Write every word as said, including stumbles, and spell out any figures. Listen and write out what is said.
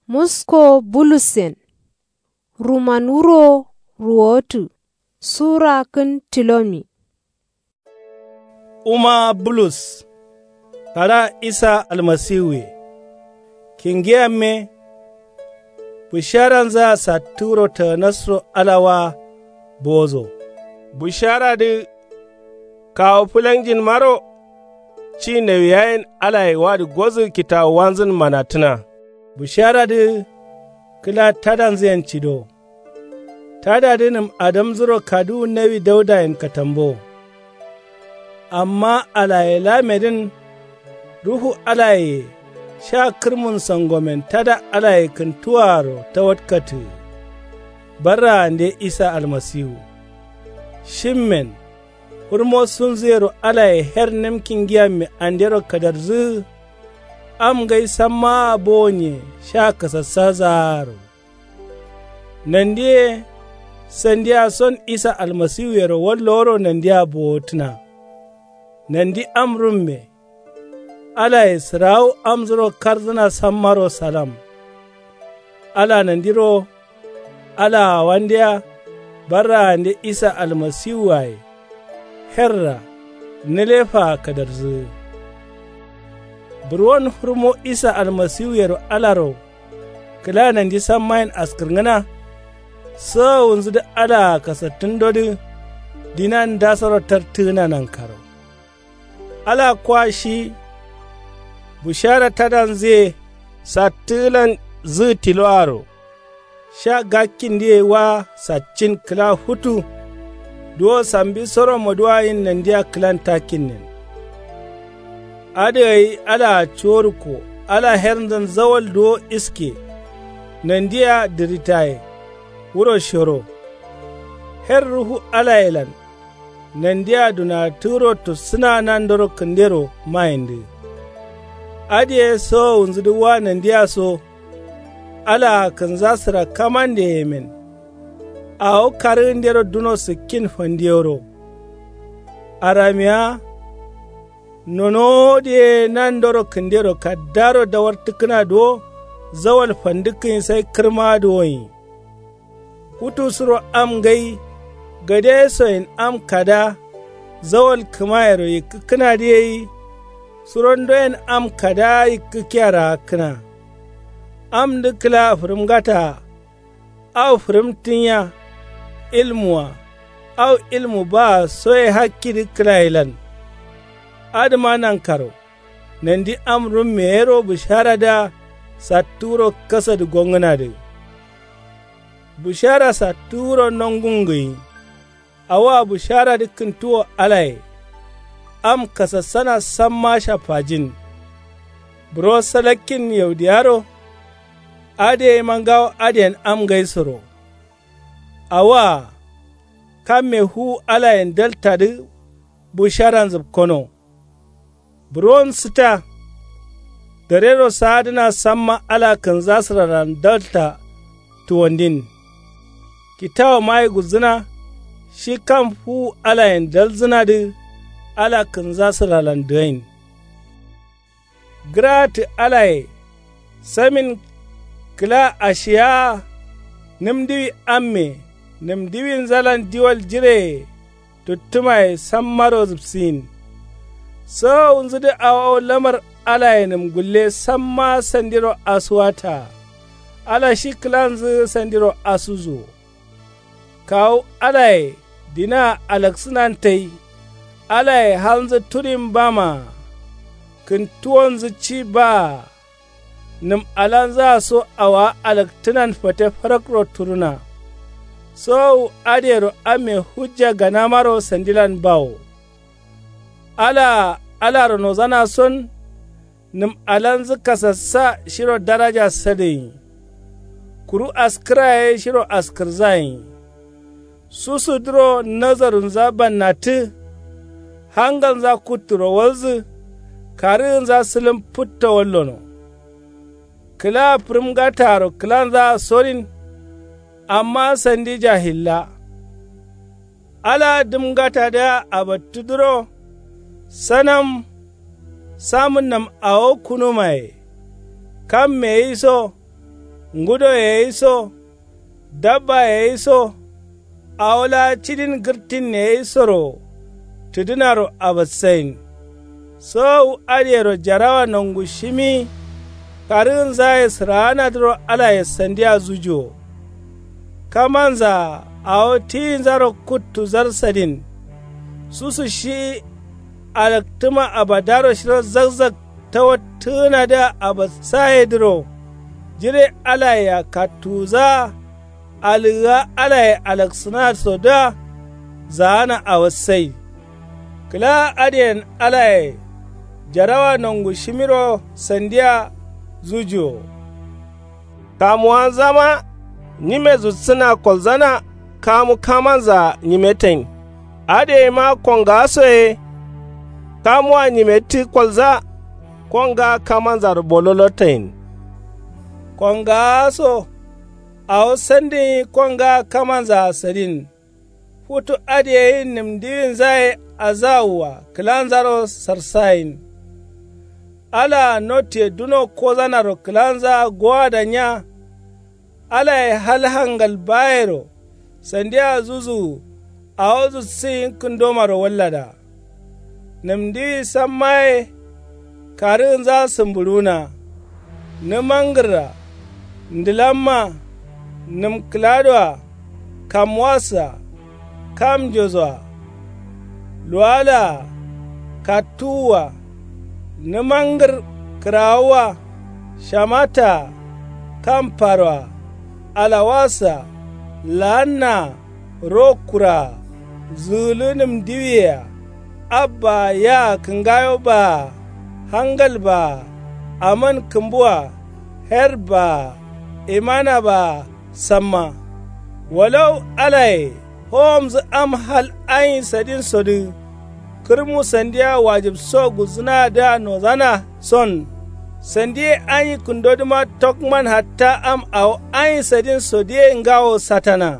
Musko bulussen. Ruman wuro ruwotǝ. Sura kǝn tilomi. Wuma bulus. Kada isa almasiwuye. Kingiyamme. Bisharanzǝa sattǝ wuro tǝgǝnasro ala wa. Bozo. Bisharadǝ. Kawu fǝlanjinmaro. Ci nawiyayen alaye wadǝ gozǝ kitawuwanzǝn manatǝna. Bisharadǝ. Kǝla tadanzǝyen cido. Tadadǝ nǝm adamzǝro kaduwu nawi daudayen katambo. Amma alaye lamedǝn. Ruhu alayeye sha kǝrmun sangomen tada alaye kǝntuwaaro tawatkatǝ. Barraande isa almasiwu. Shimmen. Fǝrmo sunzǝyero alaye her nǝmki ngiyamme andero kadarzǝ. Am ngai sammaa bowonye sha kasassazaaro. Nandiye. Sandiya son isa almasiwuyero wallo woro nandiya bowotǝna. Nandi am rumme. Alaye sǝrawu amzuro karzǝna sammaro salam. Ala nandiro. Alaa wandeya. Barraande isa almasiwuwaye. Herra. Nǝlefaa kadarzǝ. Burwon fǝrmo isa almasiwuyero alaro. Kǝla nandi sammayen askǝrngǝna. Sowowunzǝdǝ alaa kasattǝndodǝ. Dinan ndasoro tartǝgǝna nankaro. Ala kwa shi. Bushara tadanzǝye. Sattǝgǝlan. Zǝgǝ tiloaro. Sha gakkindǝye wa saccin kǝla futu. Duwo sambi soro moduwayin nandiya kǝlan takkinnen. Adǝ gai alaa cuworukko. Ala hernzǝn zawal duwo iske. Nandiya dǝritaye. Wuro shoro. Her ruhu alayelan. Nandiya dunatǝgǝro tussǝna nandoro kǝndero mayindǝ. Adǝ ye sowowunzǝdǝ wa nandiya so. Alaa kǝnza sǝrakkamande yemen. Awo karǝgǝndero duno sǝkkin fandiyoro. Aramiya. Nonowo dǝ ye nandoro kǝndero kaddaro dawartǝkkǝna duwo. Zawal fandǝkkǝnyi sai kǝrma duwonyi. Futu suro am ngai. Gade soyen am kada. Zawal kǝmayero yikkǝkkǝnadǝ yeyi. Surondoyen am kada yikkǝkkiya raakkǝna. Amdǝ kǝla fǝrǝmgataa. Au fǝrǝmtǝnya. Ilmuwa. Au ilmu baa soye hakkidǝ kǝlayelan. Adǝma nankaro. Nandi am rumme yero bisharadǝa. Sattǝ wuro kasadǝ gongǝnadǝ. Bǝshara sattǝ wuro nongungǝyi. Awoa bǝsharadǝ kǝntuwo alaye. Am kasassana samma shaffajin. Buro salakkin yaudiyaro. Adǝ yema ngawo adǝyen am ngaisoro. Awoa. Kamme fuwu alayen daltadǝ. Bǝsharan zǝpkono. Buron sǝta. Darero saadǝna samma ala kǝnzasǝralan dalta. Tuwandin. Kitawo mayi gulzǝna. Shi kam fuwu alayen dalzǝnadǝ. Ala kǝnzasǝralan dǝgain. Gǝraatǝ alaye. Samin. Kǝla ashiyaa. Nǝm diwi amme. Nǝm diwinzalan diwal jireye. Tuttǝmaye sammaro zǝpsiyin. Sowowunzǝdǝ awo lamar alayenǝm gulle samma sandiro asuwataa. Ala shi kǝlanzǝ sandiro asuzuwo. Kawu alaye dinaa alaksǝnan tai. Alaye halnzǝ turin bamaa. Kǝntuwonzǝ ci baa. Nǝm alanzǝa so awowa alaktǝnan fate farakro turuna. Sowowu adǝyero amme hujja ganamaro sandilan bawo. Alaa alaro nozana son. Nǝm alanzǝ kasassa shiro daraja sadǝgǝnyi. Kuru askǝra ye shiro askǝrzayenyi. Susudǝro nazarunza bannattǝ. Hangalnza kutturo walzǝ. Karǝgǝnza sǝlǝm fǝtto wallono. Kǝla fǝrǝmgataaro kǝlanzaa sorin. Amma sandi jahilla. Ala dǝmngatadǝa abattǝdǝro. Sanam. Samǝnnam awo kunumaye. Kamme gǝyi so. Ngudo ye yiso, dabba ye yiso, awo laa cidin gǝrtin ye yisoro tǝdǝnaro abassayin. Sowowu adǝyero jarawa nongushimi karǝgǝnzaye sǝraanadǝro alaye sandiya zujuwo. Kamanzaa awo tiyinzaro kuttuzar sadin. Susu shi alaktǝma abadaro shiro zakzak tawattǝgǝnadǝa abassayedǝro. Jire alayea kattuwuzaa alǝgǝa alaye alaksǝnasodǝa zaana awassai. Kǝlaa adǝyen alaye jarawa nongushimiro sandiya zujuwo. Kamuwanzama nyime zutsǝna kolzana kamu kamanzaa nyimetain. Adǝyeima kongawasoye kamuwa nyimettǝ kolza kongaa kamanzaro bololotain. Kongawaso awo sandǝnyi kongaa kamanzaa sadin. Futu adǝyeyin nǝmdiwinzaye azawua kǝlanzaro sarsayin. Alaa notiye duno kozanaro kǝlanzaa gowada nya. Alaye hal hangal bayero sandiya zuzuwu awo zussǝyin kǝndomaro wallada. Nǝmdiwi samma ye karǝgǝnza sǝmbǝɍuwuna. Nǝmangǝrra, ndǝlamma, nǝmkǝladoa, kamwassa, kamnjosoa, luwalaa, kattuwua, nǝmangǝr kǝrawuwa, shamataa, kamparoa, alawassa, laannaa, rokkuraa, zǝgǝlǝ nǝmdiwiyea, abbaa yaa kǝngayo baa, hangal baa, aman kǝmbua, her baa, imana baa, samma. Walau alaye howomzǝ am hal anyi sadinsodǝ kǝrmu sandiya wajibso gulzǝnadǝa nozana son. Sandiye anyi kǝndodǝma tokman hatta am awo anyi sadinsodǝye ngawo satana.